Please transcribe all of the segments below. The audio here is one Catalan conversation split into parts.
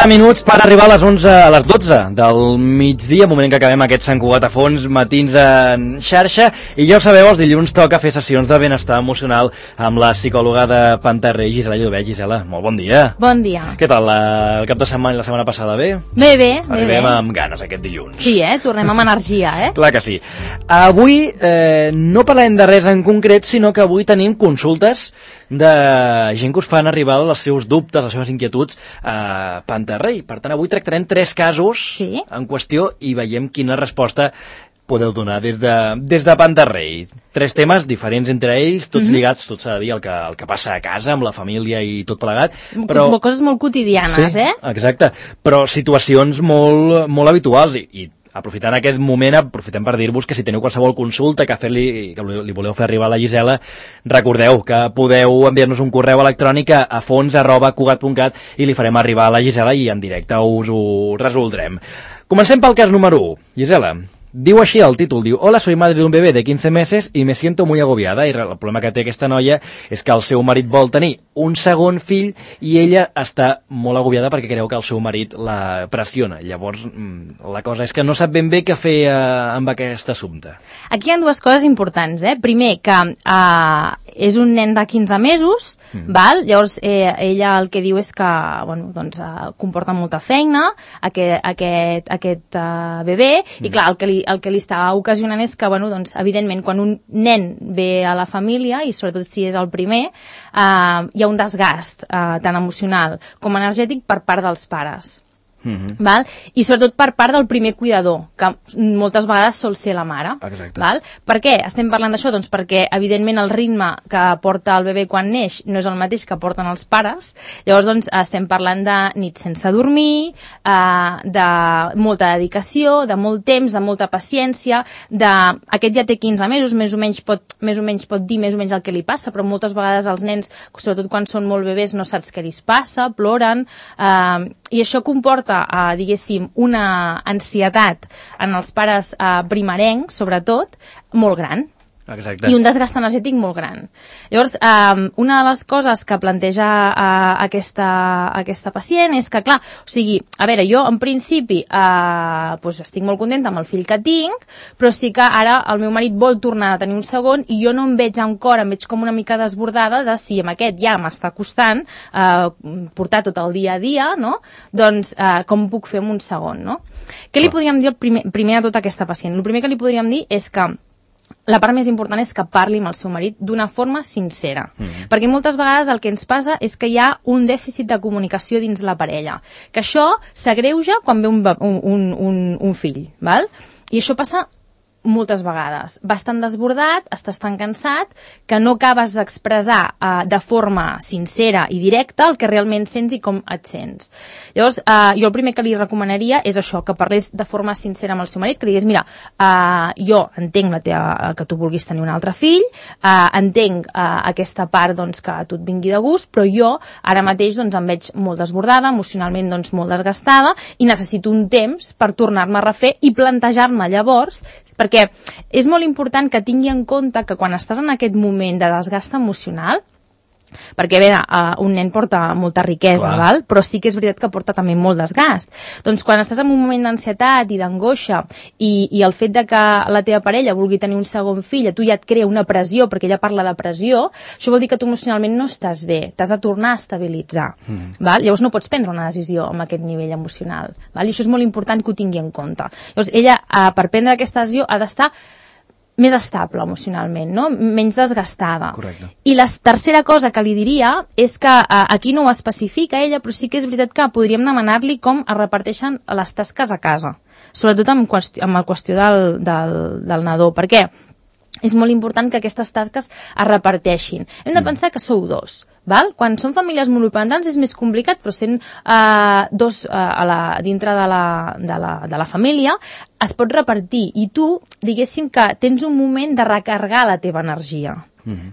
14 minuts per arribar a les 11, a les 12 del migdia, moment en què acabem aquest Sant Cugat a fons, matins en xarxa, i ja ho sabeu, els dilluns toca fer sessions de benestar emocional amb la psicòloga de Panterrey, Gisela Llobet. Gisela, molt bon dia. Bon dia. Què tal, el cap de setmana i la setmana passada, bé? Bé. Arribem amb ganes aquest dilluns. Sí, tornem amb energia, Clar que sí. Avui no parlem de res en concret, sinó que avui tenim consultes de gent que us fan arribar els seus dubtes, les seves inquietuds a Panterrey. Per tant, avui tractarem 3 casos en qüestió i veiem quina resposta podeu donar des de Panterrey. 3 temes diferents entre ells, tots lligats, tot s'ha de dir, el que passa a casa, amb la família i tot plegat. Però coses molt quotidianes, sí, exacte, però situacions molt, molt habituals i aprofitant aquest moment, aprofitem per dir-vos que si teniu qualsevol consulta que li voleu fer arribar a la Gisela, recordeu que podeu enviar-nos un correu electrònic a fons@cugat.cat i li farem arribar a la Gisela i en directe us ho resoldrem. Comencem pel cas número 1. Gisela, diu així el títol, diu: Hola, soy madre de un bebé de 15 meses y me siento muy agobiada. I el problema que té aquesta noia és que el seu marit vol tenir un segon fill i ella està molt agobiada perquè creu que el seu marit la pressiona. Llavors, la cosa és que no sap ben bé què fer amb aquest assumpte. Aquí hi ha 2 coses importants, Primer, que és un nen de 15 mesos, val? Llavors ella el que diu és que comporta molta feina aquest bebè, i clar, el que li està ocasionant és que, evidentment, quan un nen ve a la família, i sobretot si és el primer, hi ha un desgast tant emocional com energètic per part dels pares. Val? I sobretot per part del primer cuidador, que moltes vegades sol ser la mare. Val? Per què estem parlant d'això? Doncs perquè evidentment el ritme que porta el bebè quan neix no és el mateix que porten els pares. Llavors estem parlant de nits sense dormir, de molta dedicació, de molt temps, de molta paciència, aquest ja té 15 mesos, més o menys pot dir més o menys el que li passa, però moltes vegades els nens, sobretot quan són molt bebès, no saps què li passa, ploren, i això comporta diguéssim, una ansietat en els pares primerencs, sobretot, molt gran. Exacte. I un desgast energètic molt gran. Llavors, una de les coses que planteja aquesta pacient és que, clar, o sigui, a veure, jo en principi estic molt contenta amb el fill que tinc, però sí que ara el meu marit vol tornar a tenir un segon i jo no em veig encara, em veig com una mica desbordada de si amb aquest ja m'està costant portar tot el dia a dia, no? Doncs com puc fer amb un segon, no? Què li podríem dir primer a tota aquesta pacient? El primer que li podríem dir és que la part més important és que parli amb el seu marit d'una forma sincera. Perquè moltes vegades el que ens passa és que hi ha un dèficit de comunicació dins la parella. Que això s'agreuja quan ve un fill. Val? I això passa moltes vegades. Vas tan desbordat, estàs tan cansat, que no acabes d'expressar de forma sincera i directa el que realment sents i com et sents. Llavors, jo el primer que li recomanaria és això, que parlés de forma sincera amb el seu marit, que li digués, mira, jo entenc que tu vulguis tenir un altre fill, entenc aquesta part que a tu et vingui de gust, però jo ara mateix em veig molt desbordada, emocionalment molt desgastada, i necessito un temps per tornar-me a refer i plantejar-me llavors, perquè és molt important que tingui en compte que quan estàs en aquest moment de desgast emocional, perquè, a veure, un nen porta molta riquesa, val? Però sí que és veritat que porta també molt desgast. Doncs quan estàs en un moment d'ansietat i d'angoixa i el fet de que la teva parella vulgui tenir un segon fill, a tu ja et crea una pressió, perquè ella parla de pressió, això vol dir que tu emocionalment no estàs bé, t'has de tornar a estabilitzar. Val? Llavors no pots prendre una decisió amb aquest nivell emocional. Val? I això és molt important que ho tingui en compte. Llavors ella, per prendre aquesta decisió, ha d'estar més estable emocionalment, no? Menys desgastada. Correcte. I la tercera cosa que li diria és que aquí no ho especifica ella, però sí que és veritat que podríem demanar-li com es reparteixen les tasques a casa, sobretot amb la qüestió del nadó. Per què? És molt important que aquestes tasques es reparteixin. Hem de pensar que sou 2. Val? Quan són famílies monoparentals és més complicat, però sent 2 dintre de la família es pot repartir, i tu, diguéssim que tens un moment de recarregar la teva energia.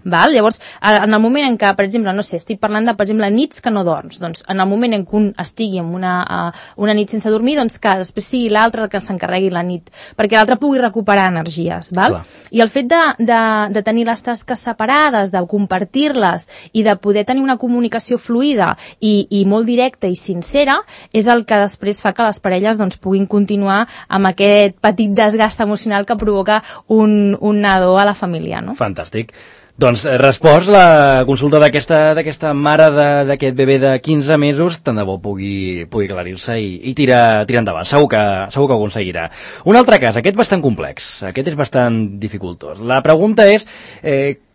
Val? Llavors, en el moment en què, per exemple, no sé, estic parlant de, per exemple, nits que no dorms, doncs en el moment en què un estigui en una nit sense dormir, doncs que després sigui l'altre el que s'encarregui la nit, perquè l'altre pugui recuperar energies, val? Clar. I el fet de tenir les tasques separades, de compartir-les i de poder tenir una comunicació fluida i molt directa i sincera, és el que després fa que les parelles doncs, puguin continuar amb aquest petit desgast emocional que provoca un nadó a la família, no? Fantàstic. Doncs respost la consulta d'aquesta mare d'aquest bebè de 15 mesos, tant de bo pugui aclarir-se i tirar endavant. Segur que ho aconseguirà. Un altre cas, aquest bastant complex, aquest és bastant dificultós. La pregunta és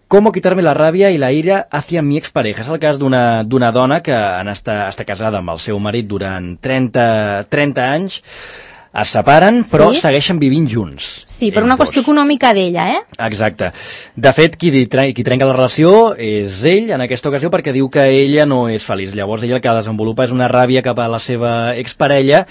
¿cómo quitarme la rabia y la ira hacia mi expareja? És el cas d'una dona que està casada amb el seu marit durant 30 anys, es separen, però segueixen vivint junts. Sí, per una qüestió econòmica d'ella, Exacte. De fet, qui trenca la relació és ell, en aquesta ocasió, perquè diu que ella no és feliç. Llavors, ella el que desenvolupa és una ràbia cap a la seva exparella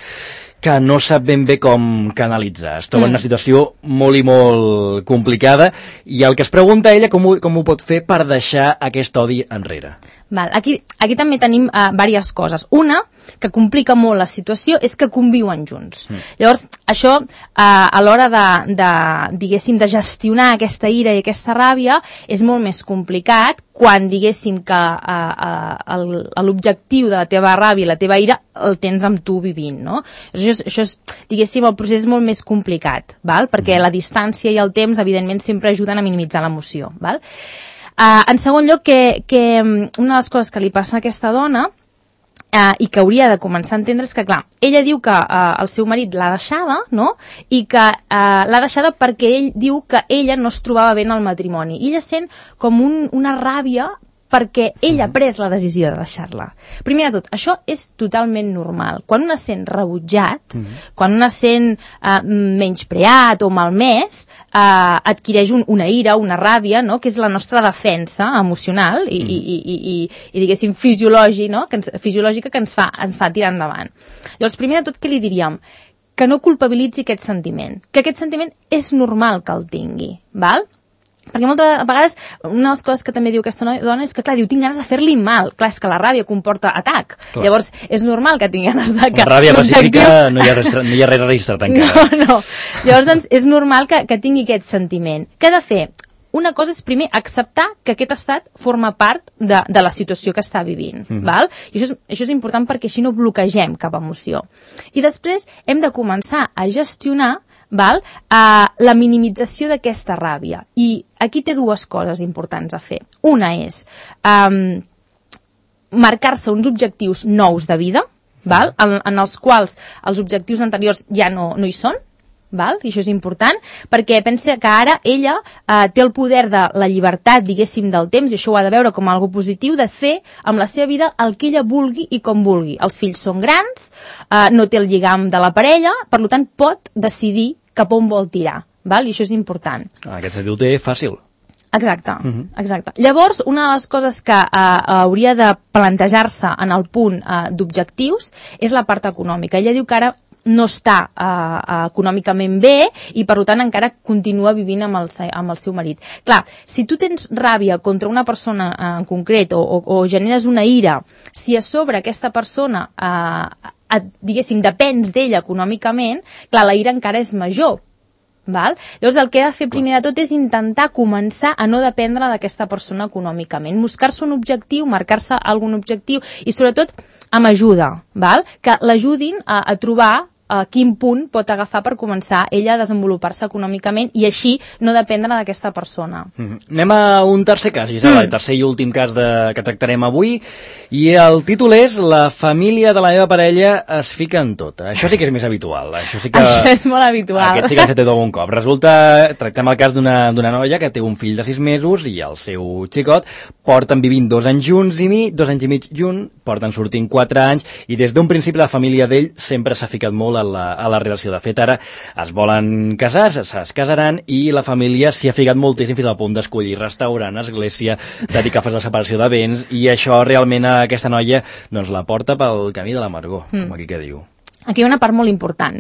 que no sap ben bé com canalitzar. Es troba en una situació molt i molt complicada i el que es pregunta ella com ho pot fer per deixar aquest odi enrere. Val. Aquí també tenim diverses coses. Una, que complica molt la situació, és que conviuen junts. Llavors, això, a l'hora diguéssim, de gestionar aquesta ira i aquesta ràbia, és molt més complicat quan, diguéssim, que l'objectiu de la teva ràbia i la teva ira el tens amb tu vivint, no? Això és, diguéssim, el procés és molt més complicat, val? Perquè la distància i el temps, evidentment, sempre ajuden a minimitzar l'emoció, val? En segon lloc, que una de les coses que li passa a aquesta dona i que hauria de començar a entendre és que, clar, ella diu que el seu marit l'ha deixada, no? I que l'ha deixada perquè ell diu que ella no es trobava bé en el matrimoni. I ella sent com una ràbia perquè ell ha pres la decisió de deixar-la. Primer de tot, això és totalment normal. Quan un es sent rebutjat, quan un es sent menyspreat o malmès, adquireix una ira, una ràbia, no? Que és la nostra defensa emocional i diguéssim, fisiològica que ens fa tirar endavant. Llavors, primer de tot, què li diríem? Que no culpabilitzi aquest sentiment. Que aquest sentiment és normal que el tingui, val? Perquè moltes vegades una de les coses que també diu aquesta dona és que, clar, diu, tinc ganes de fer-li mal. Clar, és que la ràbia comporta atac. Clar. Llavors, és normal que tingui ganes de... Amb ràbia pacífica no hi ha res registrat encara. No. Llavors, doncs, és normal que tingui aquest sentiment. Què ha de fer? Una cosa és, primer, acceptar que aquest estat forma part de la situació que està vivint. Val? I això és important perquè així no bloquegem cap emoció. I després hem de començar a gestionar la minimització d'aquesta ràbia. I aquí té dues coses importants a fer. Una és marcar-se uns objectius nous de vida, en els quals els objectius anteriors ja no hi són, i això és important, perquè pensa que ara ella té el poder de la llibertat, diguéssim, del temps, i això ho ha de veure com algo positiu, de fer amb la seva vida el que ella vulgui i com vulgui. Els fills són grans, no té el lligam de la parella, per tant pot decidir cap on vol tirar, i això és important. Aquest sentit ho té fàcil. Exacte. Llavors, una de les coses que hauria de plantejar-se en el punt d'objectius és la part econòmica. Ella diu que ara no està econòmicament bé i per tant encara continua vivint amb el seu marit. Clar, si tu tens ràbia contra una persona en concret o generes una ira, si a sobre aquesta persona diguéssim, depens d'ella econòmicament, clar, la ira encara és major. Llavors el que ha de fer primer de tot és intentar començar a no dependre d'aquesta persona econòmicament, buscar-se un objectiu, marcar-se algun objectiu i sobretot amb ajuda, que l'ajudin a trobar a quin punt pot agafar per començar ella a desenvolupar-se econòmicament i així no dependre d'aquesta persona. Anem a un tercer cas, Gisela, el tercer i últim cas que tractarem avui, i el títol és La família de la meva parella es fica en tot. Això sí que és més habitual. Això és molt habitual. Aquest sí que s'ha fet algun cop. Tractem el cas d'una noia que té un fill de 6 mesos i el seu xicot porten vivint 2 anys junts i mig, 2 anys i mig junts, porten sortint 4 anys i des d'un principi la família d'ell sempre s'ha ficat molt a la relació. De fet, ara es volen casar, es casaran i la família s'hi ha ficat moltíssim fins al punt d'escollir restaurant, església, dedicar-se a la separació de béns i això realment a aquesta noia doncs, la porta pel camí de l'amargor, com aquí que diu. Aquí hi ha una part molt important,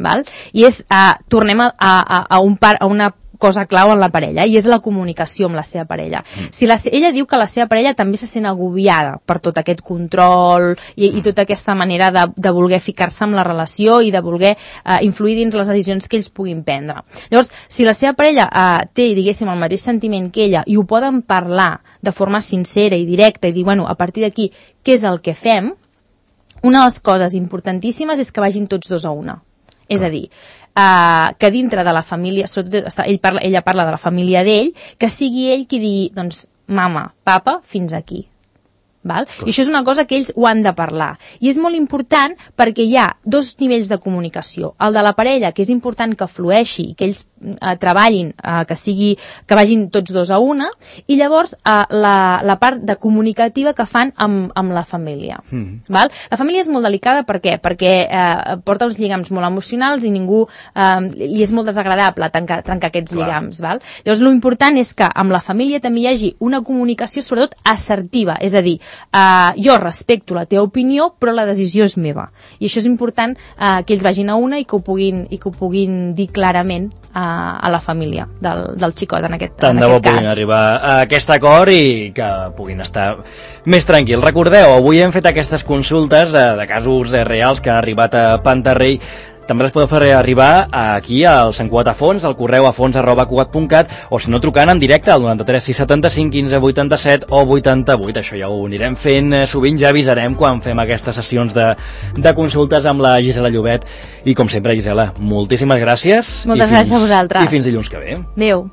i és, tornem a una cosa clau en la parella, i és la comunicació amb la seva parella. Si ella diu que la seva parella també se sent agobiada per tot aquest control i tota aquesta manera de voler ficar-se en la relació i de voler influir dins les decisions que ells puguin prendre. Llavors, si la seva parella té, diguéssim, el mateix sentiment que ella i ho poden parlar de forma sincera i directa i dir, bueno, a partir d'aquí, què és el que fem? Una de les coses importantíssimes és que vagin tots dos a una. És a dir, que dintre de la família, sobretot ella parla de la família d'ell, que sigui ell qui digui, doncs, mama, papa, fins aquí. Val? I això és una cosa que ells ho han de parlar. I és molt important perquè hi ha dos nivells de comunicació. El de la parella, que és important que flueixi, que ells treballin, que vagin tots dos a una, i llavors la part de comunicativa que fan amb la família. Val? La família és molt delicada, per què? Perquè porta uns lligams molt emocionals i ningú li és molt desagradable trencar aquests lligams. Val? Llavors, l'important és que amb la família també hi hagi una comunicació sobretot assertiva, és a dir, jo respecto la teva opinió, però la decisió és meva. I això és important que ells vagin a una i que ho puguin dir clarament a la família del xicot en aquest cas. Tant de bo puguin arribar a aquest acord i que puguin estar més tranquils. Recordeu, avui hem fet aquestes consultes de casos reals que han arribat a Pantarrey. També les podeu fer arribar aquí al Sant Cugat a Fons, al correu afons@cugat.cat, o si no trucant en directe al 93 675 15 87 o 88. Això ja ho anirem fent sovint, ja avisarem quan fem aquestes sessions de consultes amb la Gisela Llobet. I com sempre, Gisela, moltíssimes gràcies. Moltes gràcies a vosaltres. I fins dilluns que ve. Adéu.